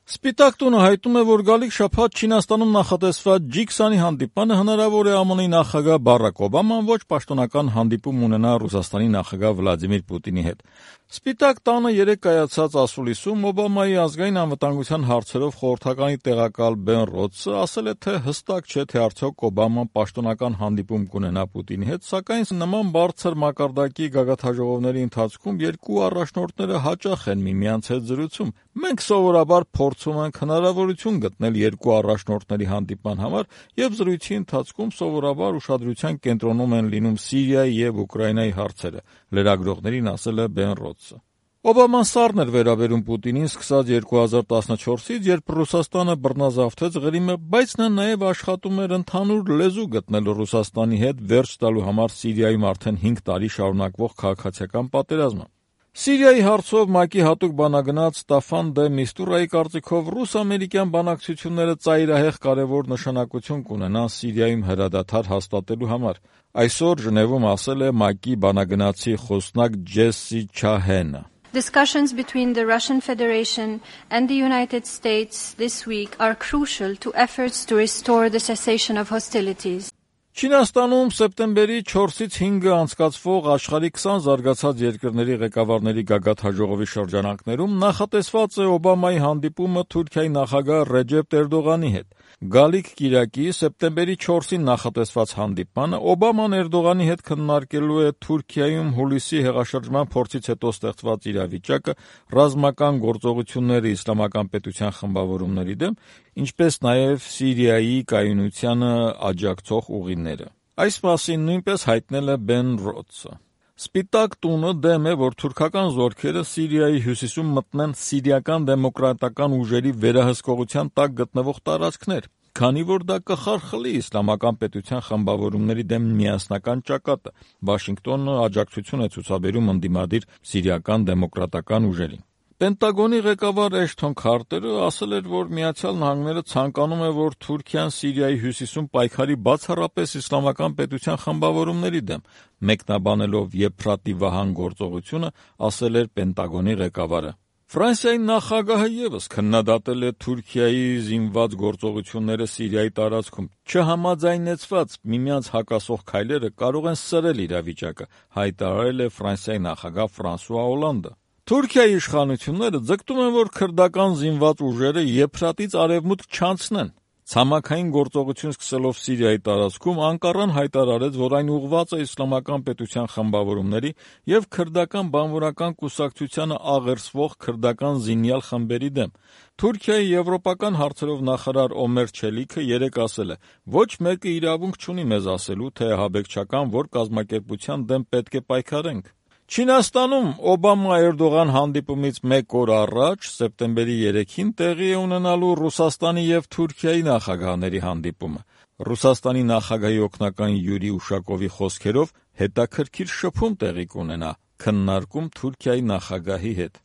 Սպիտակ տունը հայտնում է, որ գալիք շաբաթ Չինաստանում նախատեսված G20-ի հանդիպանը հնարավոր է ԱՄՆ-ի նախագահ Բարաք Օբաման ոչ պաշտոնական հանդիպում ունենա Ռուսաստանի նախագահ Վլադիմիր Պուտինի հետ։ Սպիտակ տանը երեկ կայացած ասուլիսում Օբամայի ազգային անվտանգության հարցերով խորհրդականի տեղակալ Բեն Ռոդսը ասել է, թե հստակ չէ, թե արդյոք Օբաման պաշտոնական հանդիպում կունենա Պուտինի հետ, սակայն նման բարձր մակարդակի գագաթնաժողովների ընթացքում երկու առաջնորդները հաճախ են միմյանց հետ զրուցում։ Մենք սովորաբար փորձում ենք հնարավորություն գտնել երկու առաջնորդների հանդիպման համար եւ զրույցի ընթացքում սովորաբար ուշադրության կենտրոնում են լինում Սիրիայի եւ Ուկրաինայի հարցերը, լրագրողներին ասել է Բեն Ռոդսը։ Օբաման սառն էր վերաբերում Պուտինին սկսած 2014-ից, երբ Ռուսաստանը բռնազավթեց Ղրիմը, բայց նա նաեւ աշխատում էր ընդհանուր լեզու գտնել Ռուսաստանի հետ վերջ տալու համար Սիրիայում արդեն 5 տարի շարունակվող քաղաքացիական պատերազմը։ Սիրիայի հարցով ՄԱԿ-ի հատուկ բանագնաց Ստաֆան դե Միստուրայի կարծիքով ռուս-ամերիկյան բանակցությունները ծայրահեղ կարևոր նշանակություն կունենան Սիրիայում հրադադար հաստատելու համար։ Այսօր Ժնևում ասել է ՄԱԿ-ի բանագնացի խոսնակ Ջեսսի Չահենը։ Discussions between the Russian Federation and the United States this week are crucial to efforts to restore the cessation of hostilities. Չինաստանում սեպտեմբերի 4-ից 5-ը անցկացվող աշխարհի 20 զարգացած երկրների ղեկավարների գագաթնաժողովի շրջանակներում նախատեսված է Օբամայի հանդիպումը Թուրքիայի նախագահ Ռեջեփ Էրդողանի հետ։ Գալիք կիրակի սեպտեմբերի 4-ին նախատեսված հանդիպանը Օբաման Էրդողանի հետ քննարկելու է Թուրքիայում հուլիսի հեղաշրջման փորձից հետո ստեղծված իրավիճակը, ռազմական գործողությունները իսլամական պետության խմբավորումների դեմ, ինչպես նաև Սիրիայի կայունությանը աջակցող ուղիները։ Այս մասին նույնպես հայտնել է Բեն Ռոդսը։ Սպիտակ տունը դեմ է, որ թուրքական զորքերը Սիրիայի հյուսիսում մտնեն սիրիական դեմոկրատական ուժերի վերահսկողության տակ գտնվող տարածքներ, քանի որ դա կխարխլի իսլամական պետության խմբավորումների դեմ միասնական ճակատը։ Վաշինգտոնը աջակցություն է ցուցաբերում ընդդիմադիր սիրիական դեմոկրատական ուժերին։ Պենտագոնի ղեկավար Էշթոն Քարտերը ասել էր, որ Միացյալ Նահանգները ցանկանում է, որ Թուրքիան Սիրիայի հյուսիսում պայքարի բացառապես իսլամական պետության խմբավորումների դեմ, մեկնաբանելով Եփրատի վահան գործողությունը, ասել էր Պենտագոնի ղեկավարը։ Ֆրանսիայի նախագահը ևս քննադատել է Թուրքիայի զինված գործողությունները Սիրիայի տարածքում։ Չհամաձայնեցված միմյանց հակասող քայլերը կարող են սրել իրավիճակը, հայտարարել է Ֆրանսիայի նախագահ Ֆրանսուଆ Օլանդը։ Թուրքիայի իշխանությունները ձգտում են, որ քրդական զինված ուժերը Եփրատից արևմուտք չանցնեն։ Ցամաքային գործողություն սկսելով Սիրիայի տարածքում Անկարան հայտարարեց, որ այն ուղղված է իսլամական պետության խմբավորումների եւ քրդական բանվորական կուսակցությանը աղերսվող քրդական զինյալ խմբերի դեմ։ Թուրքիայի եվրոպական հարցերով նախարար Օմեր Չելիքը երեկ ասել է. «Ոչ մեկը իրավունք չունի մեզ ասելու, թե ահաբեկչական որ կազմակերպության դեմ պետք է պայքարենք»։ Չինաստանում Օբամա-Էրդողան հանդիպումից մեկ օր առաջ, սեպտեմբերի 3-ին տեղի է ունենալու Ռուսաստանի եւ Թուրքիայի նախագահների հանդիպումը։ Ռուսաստանի նախագահի օգնական Յուրի Ուշակովի խոսքերով հետաքրքիր շփում տեղի կունենա քննարկում Թուրքիայի նախագահի հետ։